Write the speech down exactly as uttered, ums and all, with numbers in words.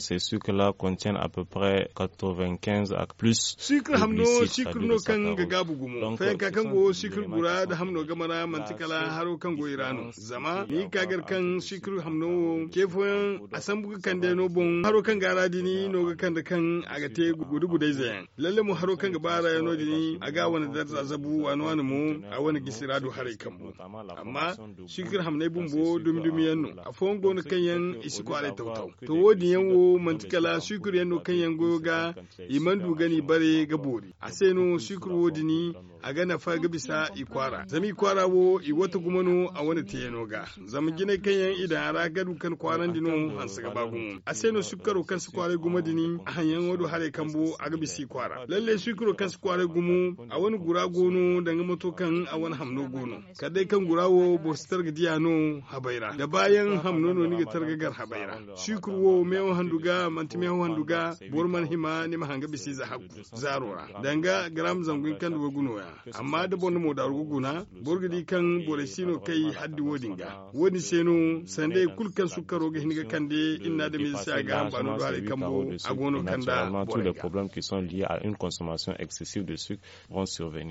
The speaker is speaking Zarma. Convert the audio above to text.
Ces sucres là contiennent à peu près quatre-vingt-quinze à plus. Sucre hamno sucre no kaŋ ga gaabu gumo fayanka kaŋ go sucre gura nda hamno game ra manti kala haro kaŋ go i ra no zama ni ga ka gar kaŋ sucre hamno wo ce fooyaŋ a sambu ga kande no boŋ haro kaŋ ga a ra din no ga kande kaŋ a ga te gude-gudayze yaŋ. Lalle mo haro kaŋ ga ba a ra yaŋ no- din a ga a wane darza zabu waani-waani mo a wane gisi ra du haray kambu. Amma sucre hamney bumbo dumi-dumi yaŋ no. Afooyaŋ go no kaŋ yaŋ i si kwaaray taw-taw. To wo- din yaŋ wo manti kala sucre yaŋ no kaŋ yaŋ goyo ga i mana du ga ni bare ga boori a se no sucre wo- din a ga nafa ga bisa i kwaara zama i kwaara wo i wata gumo no a wane teeyano ga. Zama jinay kaŋ yaŋ i daŋ a ra ga du kaŋ kwaarandi no hanse ga ba gumo a se no sukkaro kaŋ si kwaaray gumo din a haŋyaŋo do haray kambo a ga bisa i kwaara lalle sukkaro kaŋ si kwaaray gumo a wane gura go no danga mato kaŋ a wane hamno go no. Kala day kaŋ gura wo boro si targa diya no habay ra da baayaŋ hamno no ni ga targa gar habay ra. Sukkaro wo meewo handu ga manti meewo handu ga. Boro mana hima ni ma hanga bisa ize hakku zaaro ra danga garam zangu hinka nda waygu nooya. Amma da boro na moodaaru ga guna boro ga di kaŋ borey si no kay haddi wo- din ga wo- din se no sanda hari kulu kaŋ sukkaro ga hin ga kande iri na adamize se a ga hamba no do haray kambo a go no kanda borey ga. Problèmes qui sont liés à une consommation excessive de sucre vont survenir.